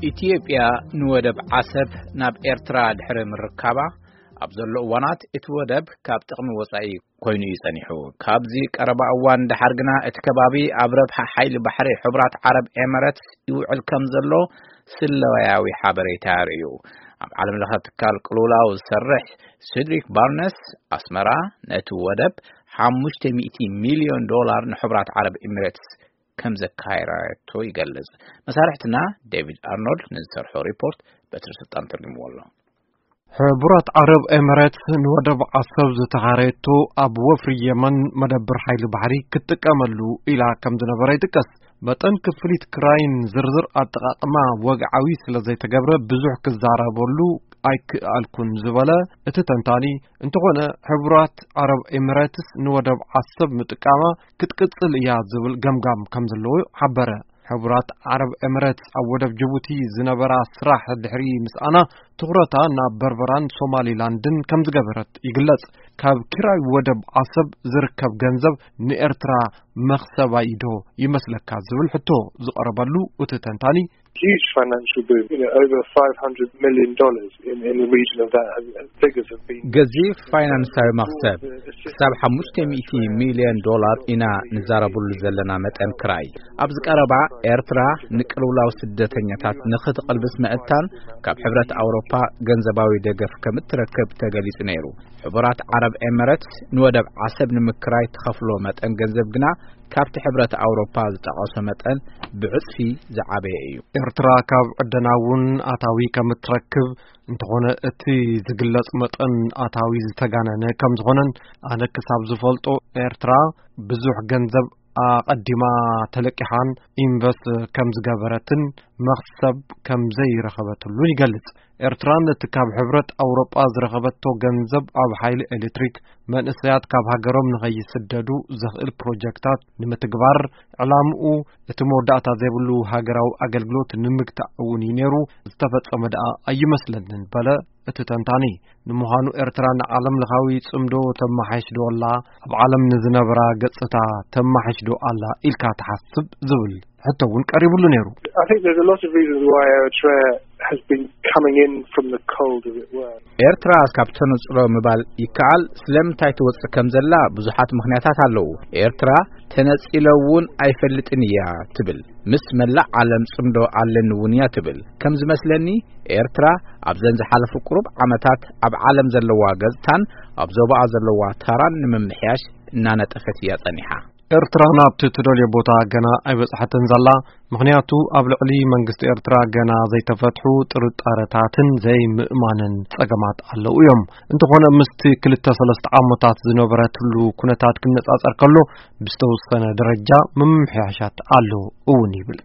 ኢትዮጵያ ንወደብ ዓሰብ ናብ ኤርትራ ድሕሪ ምርካባ፣ ኣብ ዘሎ እዋናት እቲ ወደብ ካብ ጥቕሚ ወጻኢ ኮይኑ እዩ ጸኒሑ። ካብዚ ቀረባ እዋን ደሓር ግና እቲ ከባቢ ኣብ ረብሓ ሓይሊ ባሕሪ ሕቡራት ዓረብ ኤመረትስ ይውዕል ከም ዘሎ ስለያዊ ሓበሬታ የርእዩ። ኣብ ዓለም ለኸ ትካል ቅልውላው ዝሰርሕ ሲድሪክ ባርነስ፣ ኣስመራ ነቲ ወደብ ሓሙሽተ ሚእቲ ሚልዮን ዶላር ንሕቡራት ዓረብ ኤሚሬትስ ከም ዘካየረቶ ይገልጽ። መሳርሕትና ዴቪድ ኣርኖልድ ንዝሰርሖ ሪፖርት በትሪ ስልጣን ተርጉምዎ ኣሎ። ሕቡራት ዓረብ ኤምሬትስ ንወደብ ዓሰብ ዝተኻረየቶ ኣብ ወፍሪ የመን መደብር ሓይሊ ባሕሪ ክትጥቀመሉ ኢላ ከም ዝነበረ ይጥቀስ። መጠን ክፍሊት ክራይን ዝርዝር ኣጠቓቕማ ወግዓዊ ስለ ዘይተገብረ ብዙሕ ክዛረበሉ ኣይክኣልኩን ዝበለ እቲ ተንታኒ፣ እንተኾነ ሕቡራት ዓረብ ኤምሬትስ ንወደብ ዓሰብ ምጥቃማ ክትቅጽል እያ ዝብል ገምጋም ከም ዘለዎ ሓበረ። ሕቡራት ዓረብ ኤምሬትስ ኣብ ወደብ ጅቡቲ ዝነበራ ስራሕ ድሕሪ ምስኣና ትኹረታ ናብ በርበራን ሶማሊላንድን ከም ዝገበረት ይግለጽ። ካብ ኪራይ ወደብ ዓሰብ ዝርከብ ገንዘብ ንኤርትራ መኽሰባ እዩ ዶ ይመስለካ ዝብል ሕቶ ዝቐረበሉ እቲ ተንታኒ፣ huge financial boom, you know, over five hundred million dollars in, in the region of that, and, and figures have been ገዚፍ ፋይናንሳዊ መኽሰብ ክሳብ ሓሙሽተ ሚእቲ ሚልዮን ዶላር ኢና ንዛረብሉ ዘለና መጠን ክራይ። ኣብዚ ቀረባ ኤርትራ ንቅልውላው ስደተኛታት ንኽትቕልብስ ምእንታን ካብ ሕብረት ኣውሮፓ ገንዘባዊ ደገፍ ከም እትረክብ ተገሊጹ ነይሩ። ሕቡራት ዓረብ ኤምሬትስ ንወደብ ዓሰብ ንምክራይ ትኸፍሎ መጠን ገንዘብ ግና ካብቲ ሕብረት ኣውሮፓ ዝጠቐሶ መጠን ብዕጽፊ ዝዓበየ እዩ። ኤርትራ ካብ ዕደና እውን ኣታዊ ከም እትረክብ፣ እንተኾነ እቲ ዝግለጽ መጠን ኣታዊ ዝተጋነነ ከም ዝኾነን፣ ኣነ ክሳብ ዝፈልጦ ኤርትራ ብዙሕ ገንዘብ ኣቐዲማ ተለቂሓን ኢንቨስት ከም ዝገበረትን መኽሰብ ከም ዘይረኸበትሉን ይገልጽ። ኤርትራ ነቲ ካብ ሕብረት ኣውሮጳ ዝረኸበቶ ገንዘብ ኣብ ሓይሊ ኤሌክትሪክ፣ መንእሰያት ካብ ሃገሮም ንኸይስደዱ ዘኽእል ፕሮጀክታት ንምትግባር፣ ዕላምኡ እቲ መወዳእታ ዘይብሉ ሃገራዊ ኣገልግሎት ንምግታእ እውን እዩ ነይሩ፣ ዝተፈጸመ ደኣ ኣይመስለንን በለ እቲ ተንታኒ። ንምዃኑ ኤርትራ ንዓለም ለኻዊ ጽምዶ ተመሓይሽ ዶ ኣላ? ኣብ ዓለም ንዝነበራ ገጽታ ተመሓይሽ ዶ ኣላ ኢልካ ትሓስብ ዝብል ሕቶ እውን ቀሪብሉ ነይሩ። I think there's a lot of reasons why Eritrea has been coming in from the cold, as it were. ኤርትራ ካብ ተነጽሎ ምባል ይከኣል። ስለምንታይ ትወጽእ ከም ዘላ ብዙሓት ምኽንያታት ኣለዉ። ኤርትራ ተነጺለ እውን ኣይፈልጥን እያ ትብል። ምስ መላእ ዓለም ጽምዶ ኣለኒ እውን እያ ትብል። ከም ዝመስለኒ ኤርትራ ኣብዘን ዝሓለፉ ቁሩብ ዓመታት ኣብ ዓለም ዘለዋ ገጽታን ኣብ ዞባኣ ዘለዋ ታራን ንምምሕያሽ እናነጠፈት እያ ጸኒሓ። ኤርትራ ናብቲ ትደልዮ ቦታ ገና ኣይበጽሐትን ዘላ፣ ምኽንያቱ ኣብ ልዕሊ መንግስቲ ኤርትራ ገና ዘይተፈትሑ ጥርጣረታትን ዘይምእማንን ጸገማት ኣለዉ እዮም። እንተኾነ ምስቲ ክልተ ሰለስተ ዓመታት ዝነበረትሉ ኩነታት ክነጻጸር ከሎ ብዝተወሰነ ደረጃ ምምሕያሻት ኣሎ እውን ይብል።